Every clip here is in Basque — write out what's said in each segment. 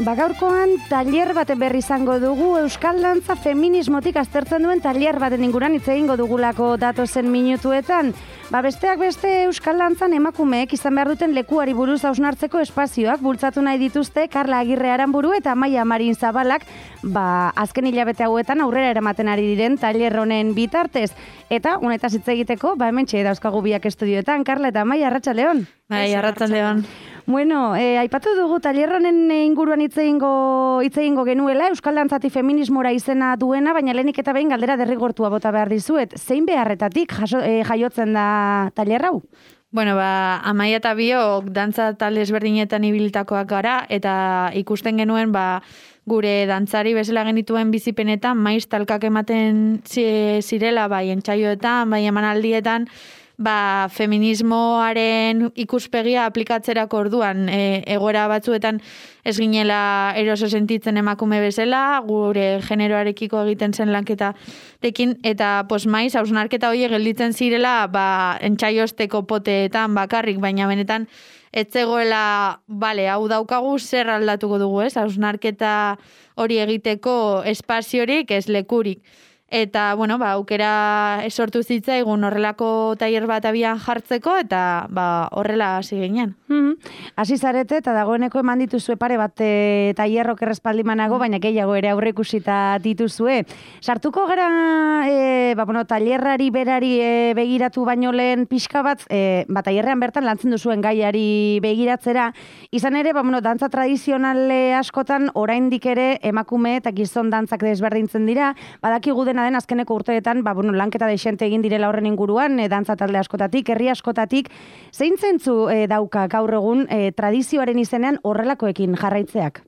Gaurkoan tailer baten berri izango dugu, Euskal Dantza feminismotik aztertzen duen tailer baten inguruan hitz egingo dugulako datozen minutuetan. Besteak beste Euskal Dantzan emakumeek izan behar duten lekuari buruz hausnartzeko espazioak bultzatu nahi dituzte Karla Agirre Aranburu eta Amaia Marin Zabalak, azken hilabete hauetan aurrera eramaten ari diren tailer honen bitartez. Eta honetaz hitz egiteko, hementxe dauzkagu biak estudioetan, Karla eta Amaia, arratsaldeon. Bai, arratsaldeon. Bueno, aipatu dugu tailer honen inguruan hitz egingo genuela, Euskal Dantzati feminismora izena duena, baina lehenik eta behin galdera derrigortua bota behar dizuet. Zein beharretatik jaiotzen da tailer hau? Bueno, Amaia eta biok dantza talde ezberdinetan ibilitakoak gara, eta ikusten genuen, gure dantzari bezala genituen bizipenetan, maiz talkak ematen zirela, entsaioetan, emanaldietan, feminismoaren ikuspegia aplikatzerako orduan egoera batzuetan ez ginela eroso sentitzen emakume bezala, gure generoarekiko egiten zen lanketarekin, eta maiz hausnarketa horiek gelditzen zirela entsaioesteko poteetan bakarrik, baina benetan ez zegoela, hau daukagu zer aldatuko dugu, ez? Hausnarketa hori egiteko espaziorik, ez lekurik. Eta, aukera sortu zitzaigun horrelako tailer bat abian jartzeko, eta horrela hasi ginen. Hasi zarete, eta dagoeneko eman dituzue pare bat tailerrok errespaldimanago, baina gehiago ere aurre ikusita dituzue. Sartuko gara, tailerrari berari begiratu baino lehen pixka bat, tailerrean bertan lantzen duzuen gaiari begiratzera, izan ere, dantza tradizionale askotan, oraindik ere emakume eta gizon dantzak desberdintzen dira, badakigu dena den azkeneko urteetan, lanketa dexente egin direla horren inguruan, dantza talde askotatik, herri askotatik, zein zentzu dauka gaur egun tradizioaren izenean horrelakoekin jarraitzeak?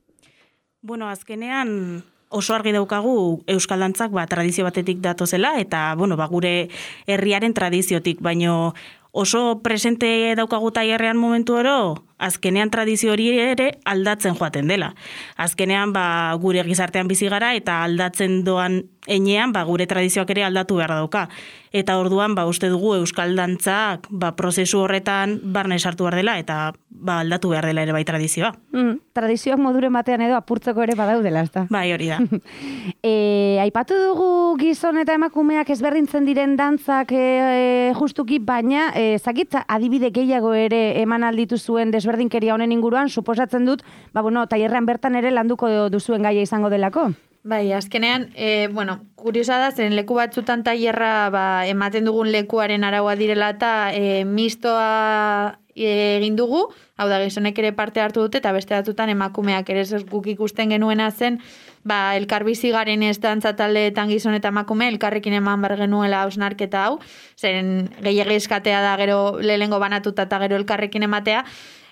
Azkenean oso argi daukagu Euskal Dantzak tradizio batetik datozela, eta gure herriaren tradiziotik, baino oso presente daukagu tailerrean momentu oro, azkenean tradizio hori ere aldatzen joaten dela. Azkenean gure gizartean bizi gara eta aldatzen doan enean gure tradizioak ere aldatu behar dauka. Eta orduan uste dugu Euskal Dantzak prozesu horretan barne sartu behar dela eta aldatu behar dela ere bai tradizioa. Tradizioak moduren batean edo apurtzeko ere badaudela, ezta? Bai, hori da. Aipatu dugu gizon eta emakumeak ezberdintzen diren dantzak justuki, baina zakit adibide gehiago ere eman alditu zuen desberdinkeria honen inguruan, suposatzen dut, tailerrean bertan ere landuko duzuen gaia izango delako. Bai, azkenean, kuriosa da, zen leku batzutan tailerra ematen dugun lekuaren araua direla eta mistoa egin dugu, hau da, gizonek ere parte hartu dute, eta beste batzutan emakumeak ere guk ikusten genuena zen, elkarbizi garen ez dantza taldeetan gizon eta emakume, elkarrekin eman bar genuela hausnarketa hau, zen gehiago eskatea da gero lehengo banatuta eta gero elkarrekin ematea,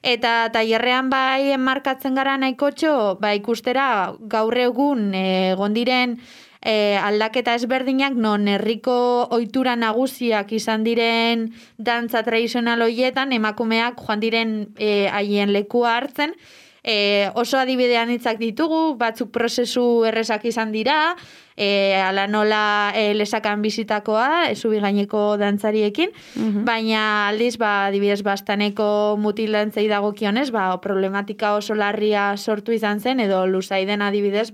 eta tailerrean enmarkatzen gara nahikotxo, ikustera gaur egun gondiren aldaketa ezberdinak, non herriko ohitura nagusiak izan diren dantza tradizional horietan, emakumeak joan diren haien lekua hartzen, oso adibidean hitzak ditugu, batzuk prozesu errezak izan dira, ala nola lesakan bizitakoa, zubi gaineko dantzariekin, baina aldiz, adibidez, bastaneko mutil dantzei dagokionez, problematika oso larria sortu izan zen, edo luzaiden adibidez,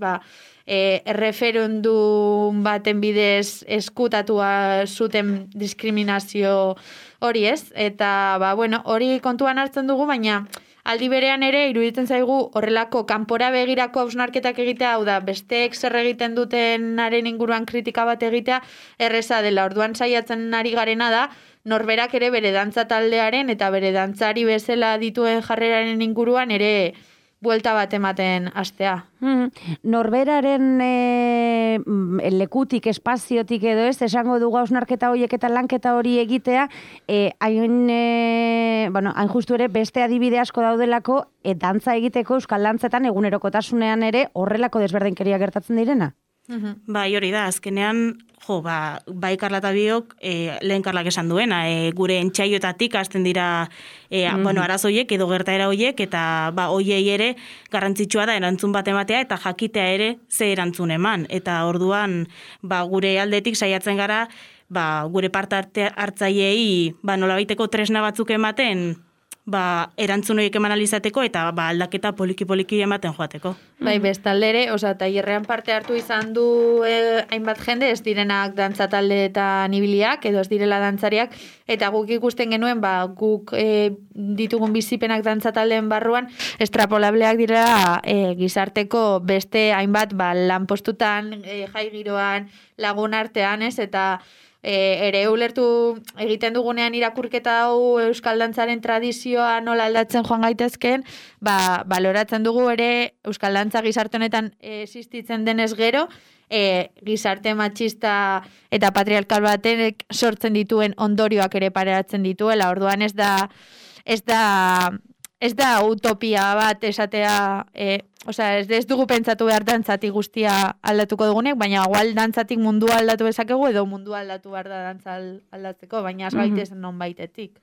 erreferendum baten bidez eskutatua zuten diskriminazio hori ez, eta hori kontuan hartzen dugu, baina aldi berean ere iruditzen zaigu horrelako kanpora begirako hausnarketak egitea, hau da, besteek zer egiten dutenaren inguruan kritika bat egitea erreza dela. Orduan saiatzen ari garena da, norberak ere bere dantza taldearen eta bere dantzari bezala dituen jarreraren inguruan ere buelta bat ematen hastea. Norberaren lekutik, espaziotik edo ez, esango dugu hausnarketa horiek eta lanketa hori egitea, hain justu ere beste adibide asko daudelako, dantza egiteko Euskal Dantzetan egunerokotasunean ere horrelako desberdinkeria gertatzen direna? Bai, hori da, azkenean, bai Karla eta biok, lehen Karlak esan duena, gure entsaioetatik hasten dira arazoiek edo gertaera hoiek, eta hoiei ere garrantzitsua da erantzun bat ematea eta jakitea ere ze erantzun eman. Eta orduan, gure aldetik saiatzen gara, gure parte hartzaileei nolabaiteko tresna batzuk ematen, erantzun horiek eman alizateko eta aldaketa poliki ematen joateko. Bai, bestaldere, tailerrean parte hartu izan du hainbat jende, ez direnak dantza taldeetan ibiliak, edo ez direla dantzariak, eta guk ikusten genuen, guk ditugun bizipenak dantza taldeen barruan, estrapolableak direla gizarteko beste hainbat lanpostutan, jai giroan, lagun artean, ez, eta ere ulertu egiten dugunean irakurketa hau euskal dantzaren tradizioa nola aldatzen joan gaitezken, baloratzen dugu ere euskal dantza gizarte honetan existitzen denez gero, gizarte matxista eta patriarkal batek sortzen dituen ondorioak ere pareatzen dituela. Orduan ez da utopia bat esatea, ez dugu pentsatu behar dantzatik guztia aldatuko dugunek, baina igual dantzatik mundua aldatu bezakegu edo mundua aldatu behar da dantza aldatzeko, baina ez gaitezen non baitetik.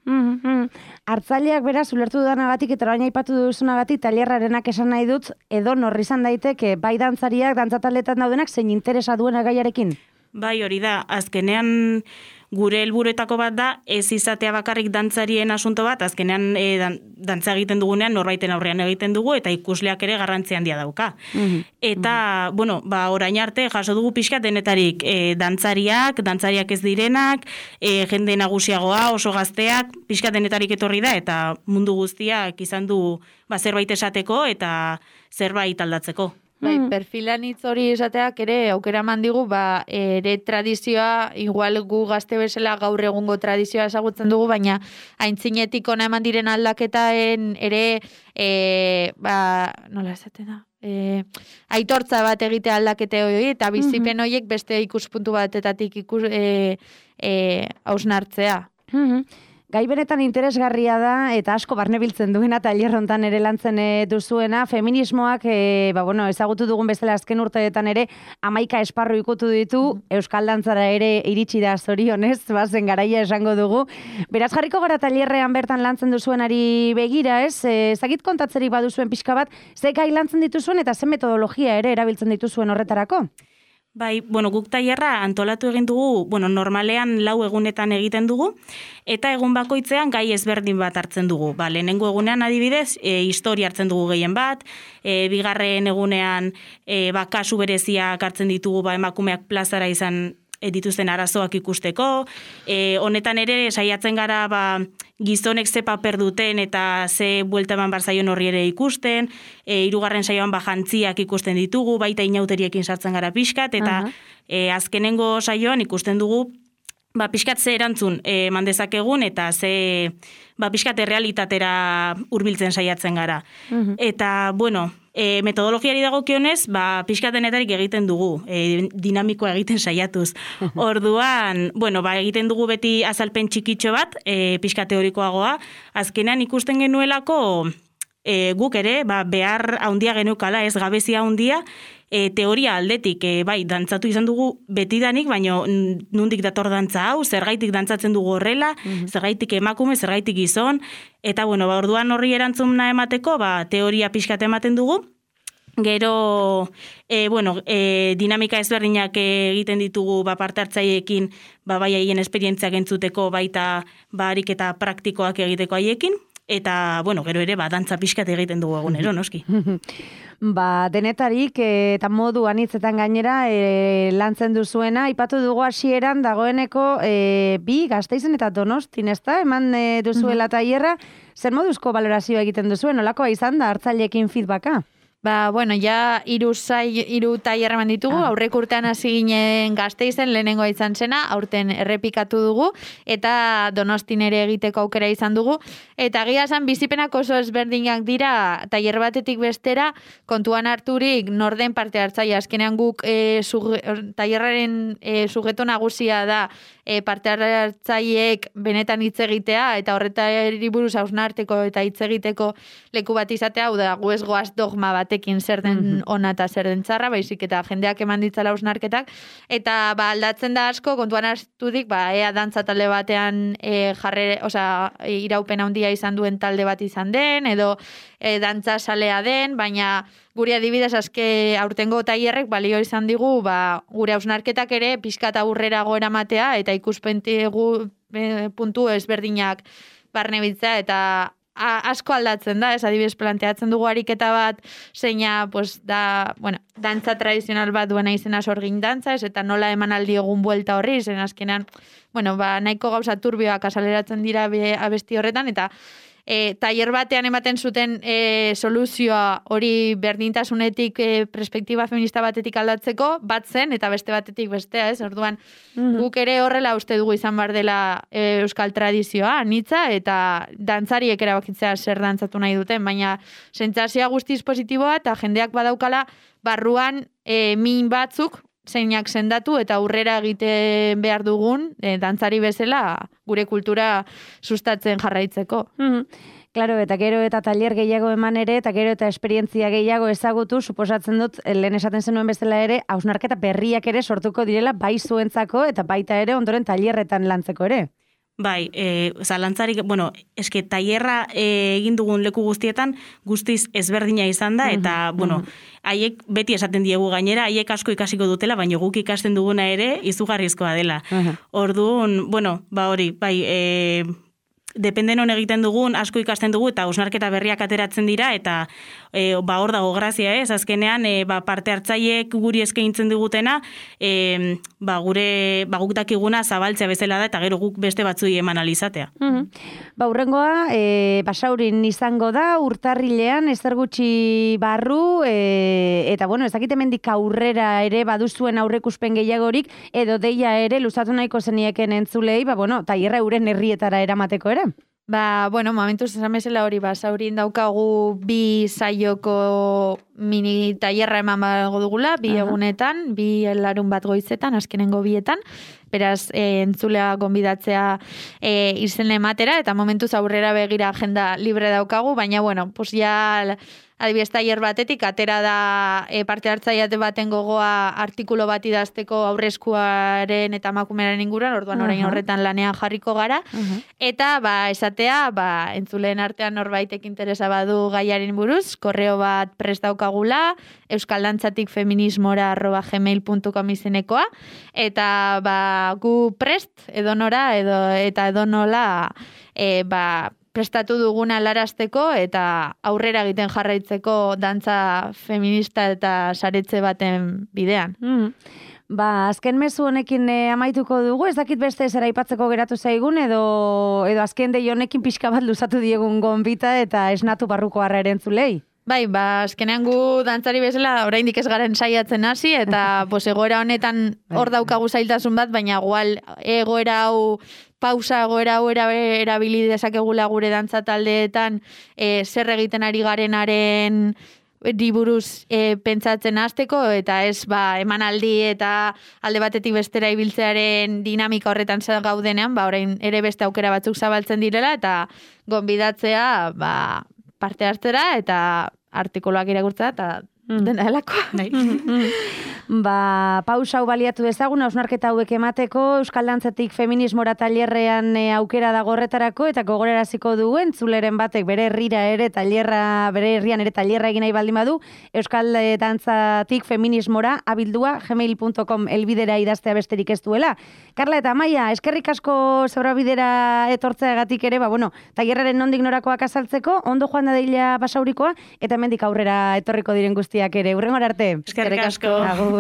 Hartzaileak beraz, ulertu dudanagatik eta baina aipatu duzunagatik, tailerrarenak esan nahi dut, edo norri izan daiteke, bai dantzariak, dantzataletan daudenak, zein interesa duena gaiarekin? Bai, hori da, azkenean gure helburuetako bat da, ez izatea bakarrik dantzarien asunto bat, azkenean dantza egiten dugunean, norbaiten aurrean egiten dugu, eta ikusleak ere garrantzi handia dauka. Eta, orain arte, jaso dugu pixkat denetarik dantzariak ez direnak, jende nagusiagoa, oso gazteak, pixkat denetarik etorri da, eta mundu guztiak izan du zerbait esateko, eta zerbait aldatzeko. Bai, perfilan hitz hori esateak ere aukera mandigu, ere tradizioa, igual gu gazte bezala gaur egungo tradizioa ezagutzen dugu, baina aintzinetik ona eman diren aldaketaen ere, nola esaten da? Aitortza bat egite aldakete hori, eta bizipen horiek beste ikuspuntu batetatik hausnartzea. Gai benetan interesgarria da, eta asko barnebiltzen duena, tailerrontan ere lantzen duzuena, feminismoak, ezagutu dugun bezala azken urteetan ere, 11 esparru ikutu ditu, euskal dantzara ere iritsi da zorionez, bazen garaia esango dugu. Beraz jarriko gara tailerrean bertan lantzen duzuenari begira, ez? Ezagit kontatzerik baduzuen pixka bat, ze gai lantzen dituzuen eta ze metodologia ere erabiltzen dituzuen horretarako? Bai, guk tailerra antolatu egin dugu, normalean 4 egunetan egiten dugu, eta egun bakoitzean gai ezberdin bat hartzen dugu. Lehenengo egunean adibidez, historia hartzen dugu gehien bat, bigarren egunean kasu bereziak hartzen ditugu emakumeak plazara izan dituzten arazoak ikusteko, honetan ere saiatzen gara gizonek ze paper duten eta ze buelta eman barzaion horri ere ikusten, 3. saioan jantziak ikusten ditugu, baita inauteriekin sartzen gara pixkat, eta azkenengo saioan ikusten dugu pixkat ze erantzun mandezakegun eta ze pixkat errealitatera hurbiltzen saiatzen gara. Eta, metodologiari dagokionez, pixkat denetarik egiten dugu, dinamikoa egiten saiatuz. Orduan, egiten dugu beti azalpen txikitxo bat, pixkat teorikoagoa, azkenean ikusten genuelako guk ere, behar haundia geneukala, ez gabezia haundia, teoria aldetik, dantzatu izan dugu betidanik, baina nundik dator dantza hau, zergaitik dantzatzen dugu horrela, zergaitik emakume, zergaitik gizon, eta orduan horri erantzuna emateko, teoria pixkat ematen dugu. Gero, dinamika ezberdinak egiten ditugu parte hartzaileekin, bai haien esperientziak entzuteko, baita ariketa praktikoak egiteko haiekin, eta, gero ere, dantza pixkat egiten dugu egunero, noski. Denetarik eta modu anitzetan gainera lantzen duzuena, aipatu dugu hasieran dagoeneko bi Gasteizen eta Donostin, ezta? Eman duzuela tailerra, zer moduzko balorazioa egiten duzuen, nolakoa izan da hartzaileekin feedbacka? Ja 3 tailer eman ditugu, aurreko urtean hasi ginen Gasteizen, lehenengoa izan zena, aurten errepikatu dugu, eta Donostin ere egiteko aukera izan dugu, eta egia esan bizipenak oso ezberdinak dira, tailer batetik bestera, kontuan harturik norden parte hartzaile, azkenean guk tailerraren sujeto nagusia da, parte hartzaileek benetan hitz egitea, eta horretari buruz hausnarteko eta hitz egiteko leku bat izatea, hau da, gu ez goaz dogma batekin zer den ona eta zer den txarra, baizik eta jendeak eman ditzala hausnarketak, eta aldatzen da asko, kontuan harturik, ea dantza talde batean iraupen handia izan duen talde bat izan den, edo dantza salea den, baina guri adibidez aurtengo tailerrek balio izan digu, gure hausnarketak ere pixkat aurrerago eramatea eta ikuspentegu puntu ezberdinak barnebiltzea, eta asko aldatzen da, ez adibidez planteatzen dugu ariketa bat, zeina, pues, da, bueno, dantza tradizional bat duena izena sorgin dantza, ez, eta nola emanaldi egun buelta horri, zen azkenean, bueno, ba, nahiko gauza turbioak asaleratzen dira abesti horretan, eta tailer batean ematen zuten soluzioa hori berdintasunetik perspektiba feminista batetik aldatzeko, bat zen, eta beste batetik bestea, ez? Orduan, guk ere horrela uste dugu izan bar dela euskal tradizioa, anitza, eta dantzariek erabakitzea zer dantzatu nahi duten, baina sentsazioa guztiz positiboa, eta jendeak badaukala barruan min batzuk, zeinak sendatu eta aurrera egiten behar dugun dantzari bezala gure kultura sustatzen jarraitzeko. Claro, eta gero eta tailer gehiago eman ere, eta gero eta esperientzia gehiago ezagutu, suposatzen dut, lehen esaten zenuen bezala ere, hausnarketa berriak ere sortuko direla bai zuentzako eta baita ere ondoren tailerretan lantzeko ere. Bai, zalantzarik, bueno, eske tailerra egin dugun leku guztietan guztiz ezberdina izan da, eta, bueno, haiek beti esaten diegu gainera, haiek asko ikasiko dutela, baina guk ikasten duguna ere izugarrizkoa dela. Orduan, bueno, ba hori, bai, depende non egiten dugun, asko ikasten dugu, eta hausnarketa berriak ateratzen dira, eta ba hor dago grazia, ez? Azkenean, ba parte hartzaileek guri eskaintzen digutena, ba gure, ba guk dakiguna zabaltzea bezala da, eta gero guk beste batzui eman alizatea. Ba hurrengoa, Basaurin izango da, urtarrilean, ezer gutxi barru, eta bueno, ez dakit hemendik aurrera ere baduzuen aurreikuspen gehiagorik, edo deia ere luzatu nahiko zenieken entzulei, ba bueno, tailerra euren herrietara eramateko ere. Ba, bueno, momentuz esan bezala hori, Basaurin daukagu 2 saioko mini tailerra eman bago dugula, 2 egunetan, 2 larun bat goizetan, azkenengo 2etan, beraz, entzulea gonbidatzea izen ematera, eta momentuz aurrera begira agenda libre daukagu, baina, bueno, pues ya adibidez tailer batetik, atera da parte hartzaileate baten gogoa artikulu bat idazteko aurreskuaren eta emakumearen inguruan, orduan orain horretan lanean jarriko gara, eta ba, esatea, ba, entzuleen artean norbaitek interesa badu gaiaren buruz, korreo bat prest daukagula, euskaldantzatikfeminismora@gmail.com izenekoa, eta ba, gu prest edonora eta edonola ba, prestatu duguna larazteko eta aurrera egiten jarraitzeko dantza feminista eta saretze baten bidean. Ba, azken mezu honekin amaituko dugu, ez dakit beste zer aipatzeko geratu zaigun, edo azken dei honekin pixka bat luzatu diegun gonbita eta esnatu barruko harra erentzulei. Bai, ba, azkenean gu dantzari bezala oraindik ez garen saiatzen hasi, eta pues, egoera honetan hor daukagu zailtasun bat, baina igual egoera hau erabili dezakegula gure dantza taldeetan zer egiten ari garenaren buruz pentsatzen hasteko, eta ez ba, emanaldi eta alde batetik bestera ibiltzearen dinamika horretan gaudenean, ba, orain ere beste aukera batzuk zabaltzen direla, eta gonbidatzea ba, parte hartzera eta artikuluak irakurtzea eta dena delako. Ba, pausa hau baliatu dezagun, hausnarketa hauek emateko, Euskal Dantzatik feminismora tailerrean aukera dago horretarako, eta gogoraraziko dugu entzuleren batek bere herrira ere tailerra, bere herrian ere tailerra egin nahi baldin badu, Euskal Dantzatik feminismora gmail.com elbidera idaztea besterik ez duela. Karla eta Amaia, eskerrik asko zebrabidera etortzeagatik ere, ba, bueno, tailerraren nondik norakoak azaltzeko, ondo joan da deila Basaurikoa, eta hemendik aurrera etorriko diren guztiak ere. Hurrengora arte. Eskerrik asko. Agur.